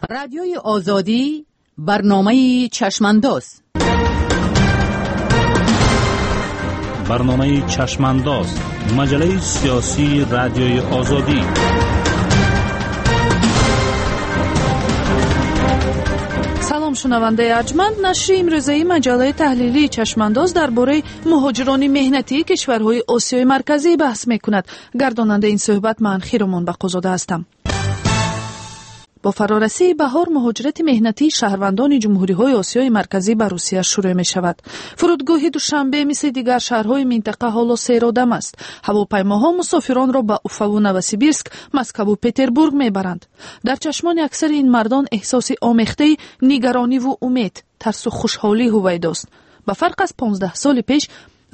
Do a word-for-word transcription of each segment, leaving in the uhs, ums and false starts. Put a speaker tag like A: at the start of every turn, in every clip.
A: Радиои Озодӣ, барномаи Чашмандоз.
B: Барномаи Чашмандоз, маҷаллаи сиёсии Радиои Озодӣ.
C: Салом, шунавандаи арҷманд. Нашри имрӯзаи маҷаллаи таҳлилии Чашмандоз дар бораи муҳоҷирони меҳнатии кишварҳои Осиёи Марказӣ баҳс мекунад. Гардонандаи ин суҳбат ман Хиромон Бақозода ҳастам. Бо фарорасии баҳор муҳоҷирати меҳнатии шаҳрвандони ҷумҳуриҳои Осиёи Марказӣ ба Русия шурӯъ мешавад. Фурудгоҳи Душанбе мисли дигар шаҳрҳои минтақа ҳоло серодам аст. Ҳавопаймоҳо мусофиронро ба Уфаву Новосибирск, Москваву Петербург мебаранд. Дар чашмони аксари ин мардон эҳсоси омехтаи нигарониву умед, тарсу хушҳолӣ ҳувайдост. Ба фарқ аз понздаҳ соли пеш,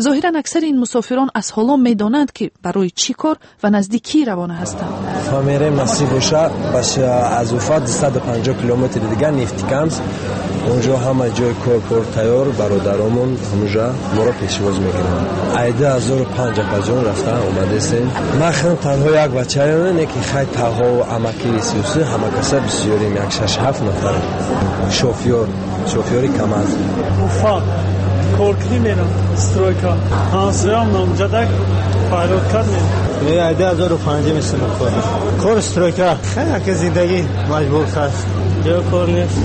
C: зоҳиран аксари ин мусофирон аз ҳоло медонанд, ки барои чӣ кор ва назди кӣ равона ҳастанд.
D: Фамерем насиб боша, аз Уфа дусаду панҷоҳ километри дигар Нефтекамск, онҷо ҳама ҷои кор пур тайёр, бародаромон ҳамонҷо моро пешвоз мекунанд. Ай ду ҳазору панҷ апаҷон рафта омадесем. Ман худам танҳо як бачаем, не ки хай таҳо амаки сиёсӣ ҳама каса бисёрем, як шаш ҳафт нафар. Шофёр, шофёри КамАЗ.
E: Уфа коркунӣ мерам, стройка. Ҳамсоям номҷадак файрод кард мерам.
F: Ай ду ҳазору панҷ мисл кор. Кор стройка. Хеле ки зиндагӣ маҷбур аст.
G: Ҷо кор нест.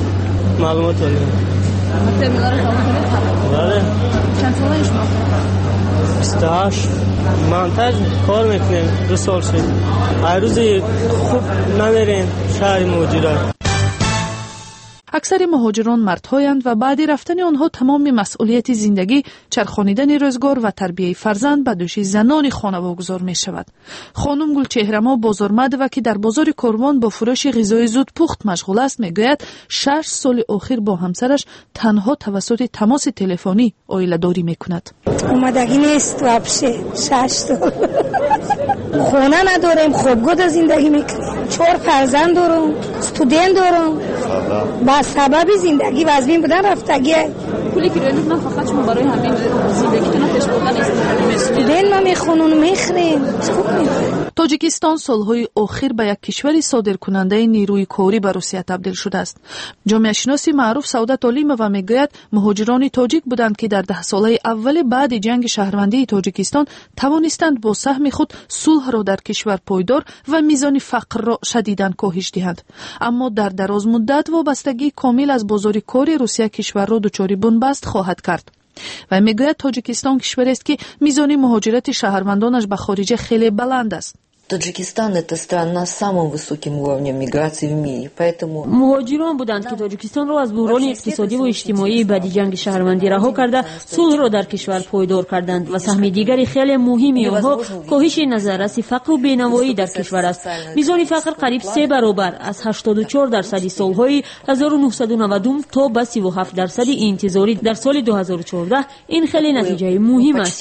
G: Маълумот олим.
H: Терминалро тамом кардед?
G: Бале.
H: Чанд солаи шумо?
G: бисту ҳашт. Монтаж кор мекунем, ду сол шуд. Ҳар рӯзи хуб намерем шаҳри муҳоҷират.
C: Аксари муҳоҷирон мардҳоянд ва баъди рафтани онҳо тамоми масъулияти зиндагӣ, чархонидани рӯзгор ва тарбияи фарзанд ба дӯши занони хонавогузор мешавад. Хонум Гулчеҳрамо Бозормадова, ки дар бозори Корвон бо фурӯши ғизои зудпухт машғул аст, мегӯяд шаш соли охир бо ҳамсараш танҳо тавассути тамоси телефонӣ оиладорӣ мекунад.
I: Омадагӣ нест вообще, шаш сол. Хона надорем, хобгоҳ зиндагӣ мекунем. Чор фарзанд дорам, студент дорам. Ба сабаби зиндагӣ вазмин будан рафтагӣ.
H: Пуле ки рӯй ман фақат шумо барои ҳамин зиндагитон пеш бурдан истифода мекунед.
I: Студент ма мехонам, мехӯрем. Хуб мехӯрем.
C: Тоҷикистон солҳои охир ба як кишвари содиркунандаи нерӯи корӣ ба Русия табдил шудааст. Ҷомеашиноси маъруф Саодат Олимова мегӯяд, муҳоҷирони тоҷик буданд, ки дар даҳсолаи аввали баъди ҷанги шаҳрвандии Тоҷикистон тавонистанд бо саҳми худ сулҳро дар кишвар пойдор ва мизони фақрро шадидан коҳиш диҳанд. Аммо дар дарозмуддат вобастагии комил аз бозори кори Русия кишварро дучори бунбаст хоҳад кард. Ва мегӯяд, Тоҷикистон кишварест, ки мизони муҳоҷирати шаҳрвандонаш ба хориҷа хеле баланд аст.
J: Таджикистан – это страна с самым высоким уровнем миграции в мире, поэтому...
K: Муҳоҷирон буданд, ки Тоҷикистонро аз буҳрони иқтисодӣ ва иҷтимоии баъди ҷанги шаҳрвандӣ раҳо карда, сулҳро дар кишвар пойдор карданд ва саҳми дигари хеле муҳими онҳо коҳиши назарраси фақру бенавоӣ дар кишвар аст. Мизони фақр қариб се баробар аз ҳаштоду чор дарсади солҳои ҳазору нуҳсаду навадум то ба сиву ҳафт дарсади интизорӣ дар соли ду ҳазору чордаҳ. Ин хеле натиҷаи муҳим аст.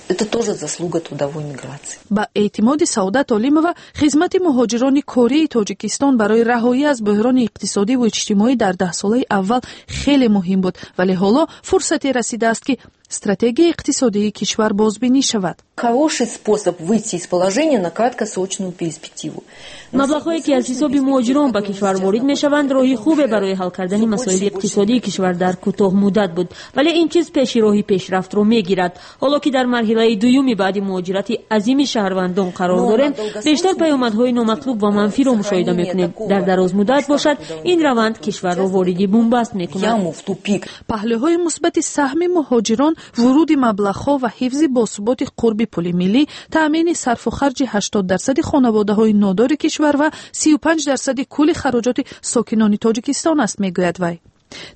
J: Это тоже заслуга трудовой миграции.
C: Ба эътимоди Саодат Олимова, хизмати муҳоҷирони кории Тоҷикистон барои раҳоӣ аз буҳрони иқтисодӣ ва иҷтимоӣ дар даҳсолаи аввал хеле муҳим буд, вале ҳоло фурсате расидааст, ки стратегияи иқтисодии кишвар бозбинӣ шавад.
J: Хороший способ выйти из положения на краткосрочную перспективу.
K: Маблағҳое, ки аз ҳисоби муҳоҷирон ба кишвар ворид мешаванд, роҳи хубе барои ҳал кардани масоили иқтисодии кишвар дар кӯтоҳмуддат буд, вале ин чиз пеши роҳи пешрафтро мегирад. Ҳоло ки дар марҳилаи дуюми баъди муҳоҷирати азими шаҳрвандон қарор дорем, бештар паёмадҳои номатлуб ва манфиро мушоҳида мекунем. Дар дарозмуддат бошад, ин раванд кишварро вориди бунбаст мекунад.
C: Паҳлӯҳои мусбати саҳми муҳоҷирон вуруди маблағҳо ва ҳифзи босуботи қурби пули миллӣ, таъмини сарфу харҷи ҳаштод дарсади хонаводаҳои нодори кишвар ва сию панҷ дарсади кулли хароҷоти сокинони Тоҷикистон аст, мегӯяд вай.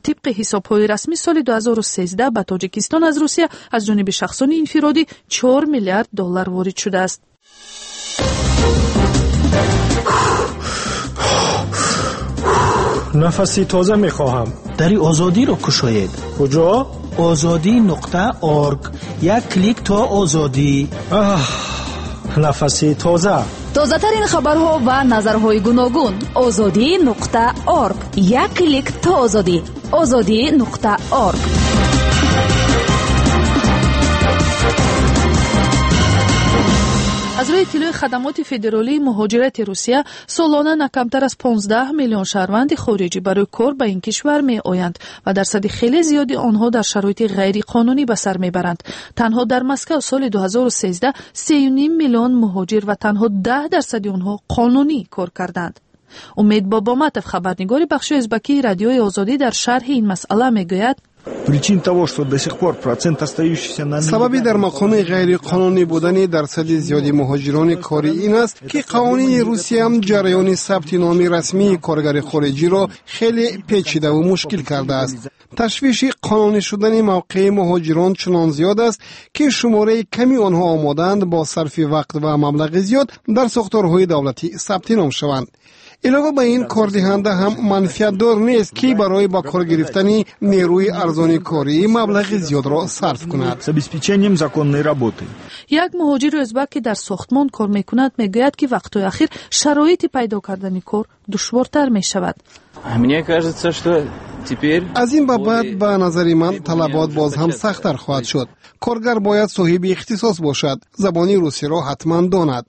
C: Тибқи ҳисобҳои расмӣ соли ду ҳазору сездаҳ ба Тоҷикистон аз Русия аз ҷониби шахсони инфиродӣ чор миллиард доллар ворид шудааст.
E: Нафаси тоза мехоҳам.
L: Дари Озодиро кушоед.
E: Куҷо?
L: Озодӣ нуқта орг. Як клик то озодӣ.
E: Аҳ, нафаси тоза.
M: Тозатарин хабарҳо ва назарҳои гуногун. Озодӣ нуқта орг. Як клик то озодӣ. Озодӣ нуқта орг.
C: Аз рӯи Иттилои хадамоти федералии муҳоҷирати Русия, солона на камтар аз понздаҳ миллион шаҳрванди хориҷӣ барои кор ба ин кишвар меоянд ва дарсади хеле зиёди онҳо дар шароити ғайриқонунӣ ба сар мебаранд. Танҳо дар Москав соли ду ҳазору сездаҳ сею ним миллион муҳоҷир ва танҳо даҳ дарсади онҳо қонунӣ кор карданд. Умед Бобоматов, хабарнигори бахши ӯзбакии Радиои Озодӣ, дар шарҳи ин масъала мегӯяд:
N: Причин того, что до сих пор процент остающийся на
O: Сабаби дар мақоми ғайриқонунӣ будани дарсади зиёди муҳоҷирони корӣ ин аст, ки қавонини Русия ҷараёни сабти номи расмии коргари хориҷиро хеле печидаву мушкил кардааст. Ташвиши қонунӣ шудани мавқеи муҳоҷирон чунон зиёд аст, ки шумораи ками онҳо омодаанд бо сарфи вақт ва маблағи зиёд дар сохторҳои давлатӣ сабти ном шаванд. Илова ба ин, кордиҳанда ҳам манфиатдор нест, ки барои ба кор гирифтани нерӯи арзони корӣ маблағи зиёдро сарф кунад.
N: С обеспечением законной работы.
C: Як муҳоҷири ӯзбак, ки дар сохтмон кор мекунад, мегӯяд, ки вақтҳои ахир шароити пайдо кардани кор душвортар мешавад.
P: Мне кажется, что теперь
O: Аз ин ба баъд, ба назари ман, талабот боз ҳам сахттар хоҳад шуд. Коргар бояд соҳиби ихтисос бошад, забони русиро ҳатман донад.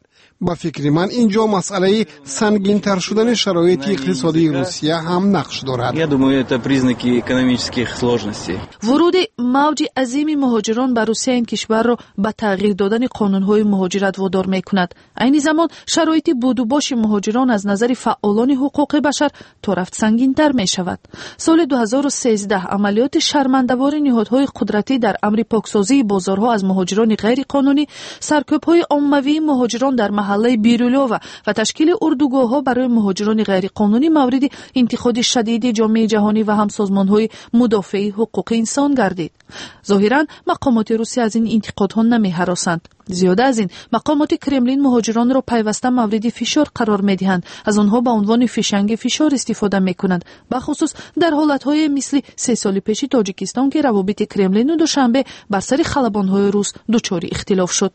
O: Ба фикри ман, ин ҷо масъалаи сангинтар шудани шароити иқтисодии Русия ҳам нақш дорад.
P: Я думаю, это признаки экономических сложностей.
C: Вуруди мавҷи азими муҳоҷирон ба Русия ин кишварро ба тағйир додани қонунҳои муҳоҷират водор мекунад. Айни замон шароити будубоши муҳоҷирон аз назари фаъолони ҳуқуқи башар торафт сангинтар мешавад. Соли ду ҳазору сездаҳ амалиёти шармандавори ниҳодҳои қудратӣ дар амри поксозии бозорҳо аз муҳоҷирони ғайриқонунӣ, саркӯбҳои оммавии муҳоҷирон дар маҳаллаи Бирюлёва ва ташкили урдугоҳҳо барои муҳоҷирони ғайриқонунӣ мавриди интиқоди шадиди ҷомеаи ҷаҳонӣ ва ҳам созмонҳои мудофеи ҳуқуқи инсон гардид. Зоҳиран, мақомоти Русия аз ин интиқодҳо намеҳаросанд. Зиёда аз ин, мақомоти Кремлин муҳоҷиронро пайваста мавриди фишор қарор медиҳанд, аз онҳо ба унвони фишанги фишор истифода мекунанд, бахусус дар ҳолатҳое мисли се соли пеши Тоҷикистон, ки равобити Кремлину Душанбе бар сари халабонҳои рус дучори ихтилоф шуд.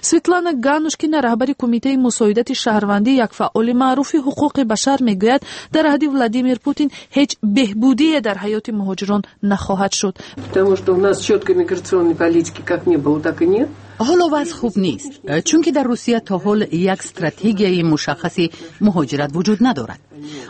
C: Светлана Ганушкина, раҳбари Кумитаи мусоидати шаҳрвандӣ, як фаъоли маъруфи ҳуқуқи башар, мегӯяд, дар аҳди Владимир Путин ҳеҷ беҳбудие дар ҳаёти муҳоҷирон нахоҳад шуд.
Q: Потому что у нас четкой миграционной политики как не было, так и нет.
A: Ҳоло вазъ хуб нест, чунки дар Русия то ҳол як стратегияи мушаххаси муҳоҷират вуҷуд надорад.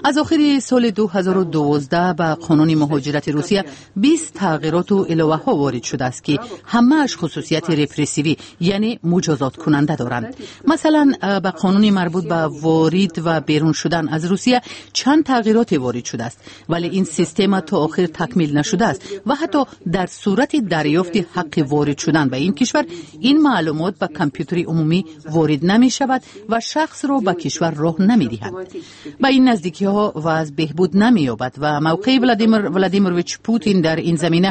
A: Аз охири соли ду ҳазору дувоздаҳ ба қонуни муҳоҷирати Русия бист тағйироту иловаҳо ворид шудааст, ки ҳамааш хусусияти репрессивӣ, яъне муҷозоткунанда доранд. Масалан, ба қонуни марбут ба ворид ва берун шудан аз Русия чанд тағйироте ворид шудааст, вале ин система то охир такмил нашудааст ва ҳатто дар сурати дарёфти ҳаққи ворид шудан ба ин кишвар, ин маълумот ба компютери умумӣ ворид намешавад ва шахсро ба кишвар роҳ намедиҳад. Ба ин наздикиҳо вазъ беҳбуд намеёбад ва мавқеи Владимир Владимирович Путин дар ин замина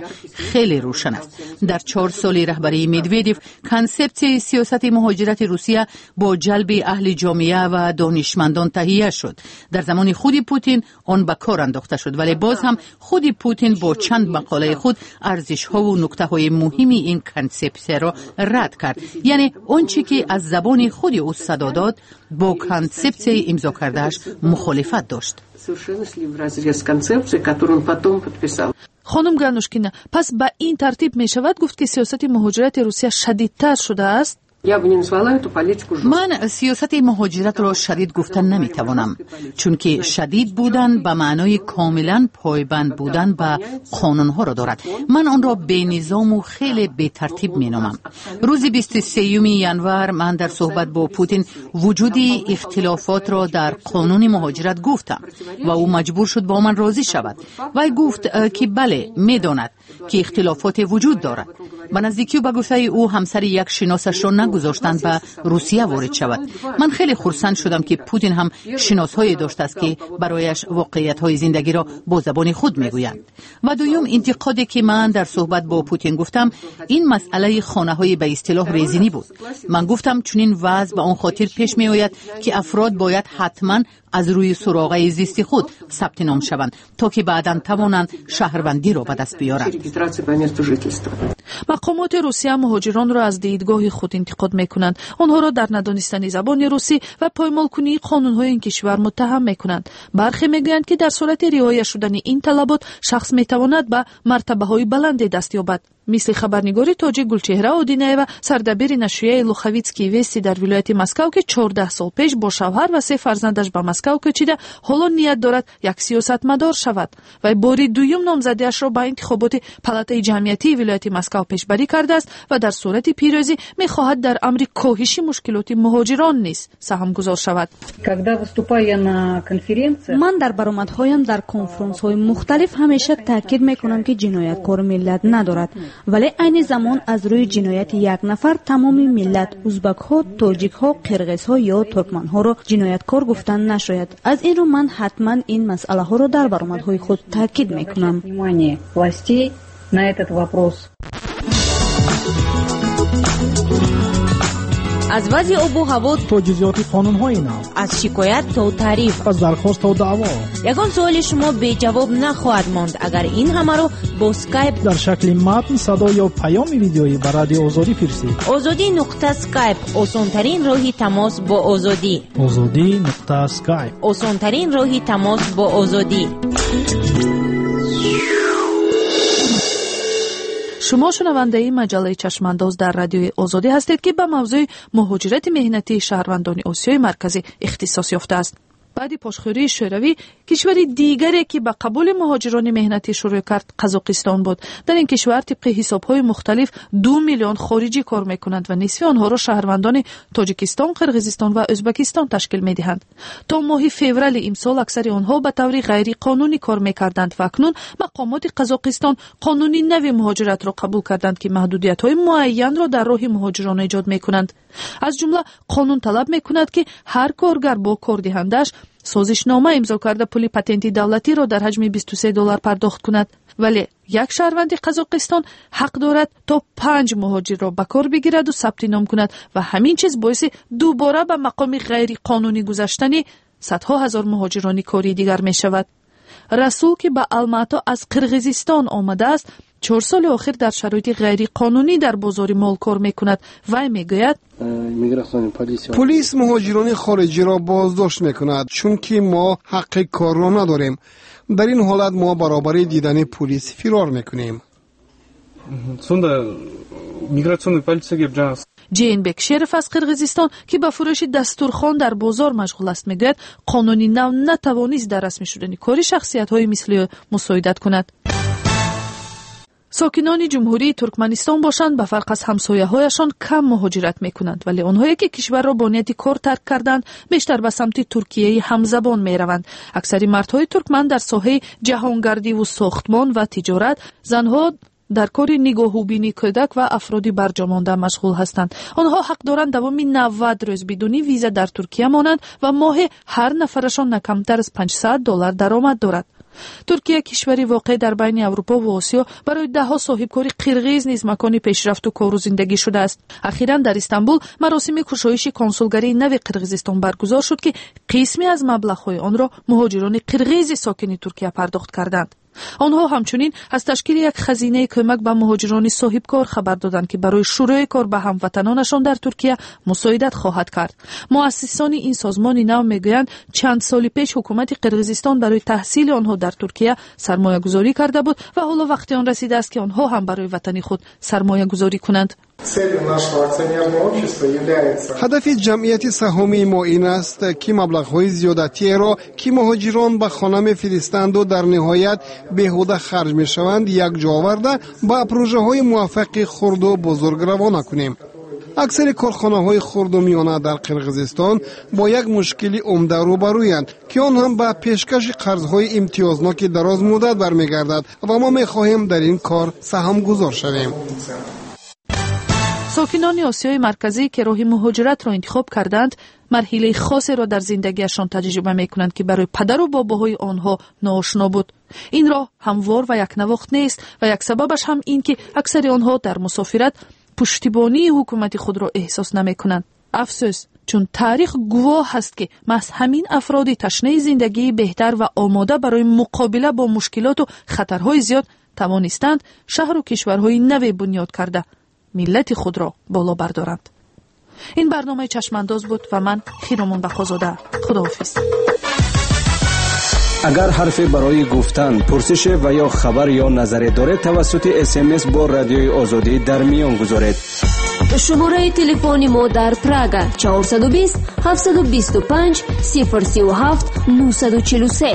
A: хеле рӯшан аст. Дар чор соли раҳбарии Медведев консепсияи сиёсати муҳоҷирати Русия бо ҷалби аҳли ҷомеа ва донишмандон таҳия шуд. Дар замони худи Путин он ба кор андохта шуд, вале боз ҳам худи Путин бо чанд мақолаи худ арзишҳову нуктаҳои муҳими ин консепсияро рад кард. Яъне он чӣ ки аз забони худи ӯ садо дод, бо консепсияи имзо кардааш мухолифат дошт.
Q: Совершенно шли вразрез с концепцией, которую он потом подписал.
C: Хонум Ганушкина, пас ба ин тартиб мешавад гуфт, ки сиёсати муҳоҷирати Русия шадидтар шудааст?
Q: Я бы не назвала эту политику жесткой.
A: Ман сиёсати муҳоҷиратро шадид гуфта наметавонам, чунки шадид будан ба маънои комилан пойбанд будан ба қонунҳоро дорад. Ман онро бенизому хеле бетартиб меномам. Рӯзи бисту сеюми январ ман дар суҳбат бо Путин вуҷуди ихтилофотро дар қонуни муҳоҷират гуфтам ва ӯ маҷбур шуд бо ман розӣ шавад. Вай гуфт, ки бале, медонад, ки ихтилофоте вуҷуд дорад. Ба наздикию, ба гуфтаи ӯ, ҳамсари як шиносашро нагузоштанд ба Русия ворид шавад. Ман хеле хурсанд шудам, ки Путин ҳам шиносҳое доштааст, ки барояш воқеиятҳои зиндагиро бо забони худ мегӯянд. Ва дуюм интиқоде, ки ман дар суҳбат бо Путин гуфтам, ин масъалаи хонаҳои ба истилоҳ резинӣ буд. Ман гуфтам, чунин вазъ ба он хотир пеш меояд, ки афрод бояд ҳатман аз рӯи суроғаи зисти худ сабти ном шаванд, то ки баъдан тавонанд шаҳрвандиро ба даст биёранд.
C: Мақомоти Русия муҳоҷиронро аз дидгоҳи худ интиқод мекунанд. Онҳоро дар надонистани забони русӣ ва поймолкунии қонунҳои ин кишвар муттаҳам мекунанд. Бархе мегӯянд, ки дар сурати риоя шудани ин талабот шахс метавонад ба мартабаҳои баланде даст ёбад. Мисли хабарнигори тоҷик Гулчеҳра Одинаева, сардабири нашрияи Луховицкие вести дар вилояти Москав, ки чордаҳ сол пеш бо шавҳар ва се фарзандаш ба Москав кӯчида, ҳоло ният дорад як сиёсатмадор шавад. Вай бори дуюм номзадиашро ба интихоботи палатаи ҷамъиятии вилояти Москав пешбарӣ кардааст ва дар сурати пирӯзӣ мехоҳад дар амри коҳиши мушкилоти муҳоҷирон низ саҳмгузор шавад.
R: Ман дар баромадҳоям дар конфронсҳои мухталиф ҳамеша таъкид мекунам, ки ҷинояткор миллат надорад, вале айни замон аз рӯи ҷинояти як нафар тамоми миллат узбакҳо, тоҷикҳо, қирғизҳо ё туркманҳоро ҷинояткор гуфтан нашояд. Аз ин рӯ ман ҳатман ин масъалаҳоро дар баромадҳои худ таъкид мекунам.
S: Аз вазъи обу ҳаво
L: то ҷузъиёти қонунҳои нав,
S: аз шикоят то таъриф,
L: аз дархост то даъво,
S: ягон суоли шумо беҷавоб нахоҳад монд, агар ин ҳамаро бо скайп
L: дар шакли матн, садо ё паёми видеоӣ ба Радио Озодӣ фирсед.
S: Озодӣ нуқта скайп осонтарин роҳи тамос бо Озодӣ.
L: Озодӣ нуқта скайп
S: осонтарин роҳи тамос бо Озодӣ.
C: Шумо шунавандаи маҷаллаи Чашмандоз дар Радиои Озодӣ ҳастед, ки ба мавзӯи муҳоҷирати меҳнатии шаҳрвандони Осиёи Марказӣ ихтисос ёфтааст. Баъди пошхӯрии Шӯравӣ кишвари дигаре, ки ба қабули муҳоҷирони меҳнатӣ шурӯъ кард, Қазоқистон буд. Дар ин кишвар тибқи ҳисобҳои мухталиф ду миллион хориҷӣ кор мекунанд ва нисфи онҳоро шаҳрвандони Тоҷикистон, Қирғизистон ва Ӯзбекистон ташкил медиҳанд. То моҳи феврали имсол аксари онҳо ба таври ғайриқонунӣ кор мекарданд ва акнун мақомоти Қазоқистон қонуни нави муҳоҷиратро қабул карданд, ки маҳдудиятҳои муайянро дар роҳи муҳоҷирон эҷод мекунанд. Аз ҷумла қонун талаб мекунад, ки ҳар коргар бо кордиҳандааш созишнома имзо карда пули патенти давлатиро дар ҳаҷми бисту се доллар пардохт кунад. Вале як шаҳрванди Қазоқистон ҳақ дорад то панҷ муҳоҷирро ба кор бигираду сабти ном кунад ва ҳамин чиз боиси дубора ба мақоми ғайриқонунӣ гузаштани садҳо ҳазор муҳоҷирони кории дигар мешавад. Расул, ки ба Алмато аз Қирғизистон омадааст, чор соли охир дар шароити ғайриқонунӣ дар бозори мол кор мекунад. Вай мегӯяд:
O: полис муҳоҷирони хориҷиро боздошт мекунад, чунки мо ҳаққи корро надорем. Дар ин ҳолат мо баробари дидани полис фирор мекунем.
C: Ҷейнбек Шеров аз Қирғизистон, ки ба фурӯши дастурхон дар бозор машғул аст, мегӯяд қонуни нав натавонист дар расмӣ шудани кори шахсиятҳои мисли ӯ мусоидат кунад. Сокинони Ҷумҳурии Туркманистон бошанд, ба фарқ аз ҳамсояҳояшон кам муҳоҷират мекунанд, вале онҳое, ки кишварро бо нияти кор тарк карданд, бештар ба самти Туркияи ҳамзабон мераванд. Аксари мардҳои туркман дар соҳаи ҷаҳонгардиву сохтмон ва тиҷорат, занҳо дар кори нигоҳубини кӯдак ва афроди барҷомонда машғул ҳастанд. Онҳо ҳақ доранд давоми навад рӯз бидуни виза дар Туркия монанд ва моҳе ҳар нафарашон на камтар аз панҷсад доллар даромад дорад. Туркия, кишвари воқеъ дар байни Аврупо ва Осиё, барои даҳҳо соҳибкори қирғиз низ макони пешрафту кору зиндагӣ шудааст. Ахиран дар Истанбул маросими кушоиши консулгарии нави Қирғизистон баргузор шуд, ки қисме аз маблағҳои онро муҳоҷирони қирғизи сокини Туркия пардохт карданд. Онҳо ҳамчунин аз ташкили як хазинаи кӯмак ба муҳоҷирони соҳибкор хабар доданд, ки барои шурӯи кор ба ҳамватанонашон дар Туркия мусоидат хоҳад кард. Муассисони ин созмони нав мегӯянд, чанд соли пеш ҳукумати Қирғизистон барои таҳсили онҳо дар Туркия сармоягузорӣ карда буд ва ҳоло вақти он расидааст, ки онҳо ҳам барои ватани худ сармоягузорӣ кунанд.
O: Ҳадафи ҷамъияти саҳомии мо ин аст, ки маблағҳои зиёдатиеро, ки муҳоҷирон ба хона мефиристанду дар ниҳоят беҳуда харҷ мешаванд, якҷо оварда ба прожаҳои муваффақи хурду бузург равона кунем. Аксари корхонаҳои хурду миёна дар Қирғизистон бо як мушкили умда рӯбарӯянд, ки он ҳам ба пешкаши қарзҳои имтиёзноки дарозмуддат бармегардад ва мо мехоҳем дар ин кор саҳмгузор шавем.
C: Сокинони Осиёи Марказӣ, ки роҳи муҳоҷиратро интихоб карданд, марҳилаи хосеро дар зиндагиашон таҷриба мекунанд, ки барои падару бобоҳои онҳо ноошно буд. Ин роҳ ҳамвор ва якнавохт нест ва як сабабаш ҳам ин, ки аксари онҳо дар мусофират пуштибонии ҳукумати худро эҳсос намекунанд. Афсӯс, чун таърих гувоҳ аст, ки маҳз ҳамин афроди ташнаи зиндагии беҳтар ва омода барои муқобила бо мушкилоту хатарҳои зиёд тавонистанд шаҳру кишварҳои наве бунёд карда миллати худро боло бардоранд. Ин барномаи Чашмандоз буд ва ман Хиромон Бақозода. Худоҳофиз.
T: Агар ҳарфе барои гуфтан, пурсише ва ё хабар ё назаре доред, тавассути С М С бо Радиои Озодӣ дар миён гузоред.
U: Шумораи телефони мо дар Прага: чорсаду бист, ҳафтсаду бисту панҷ, сифр сию ҳафт, нуҳсаду чилу се.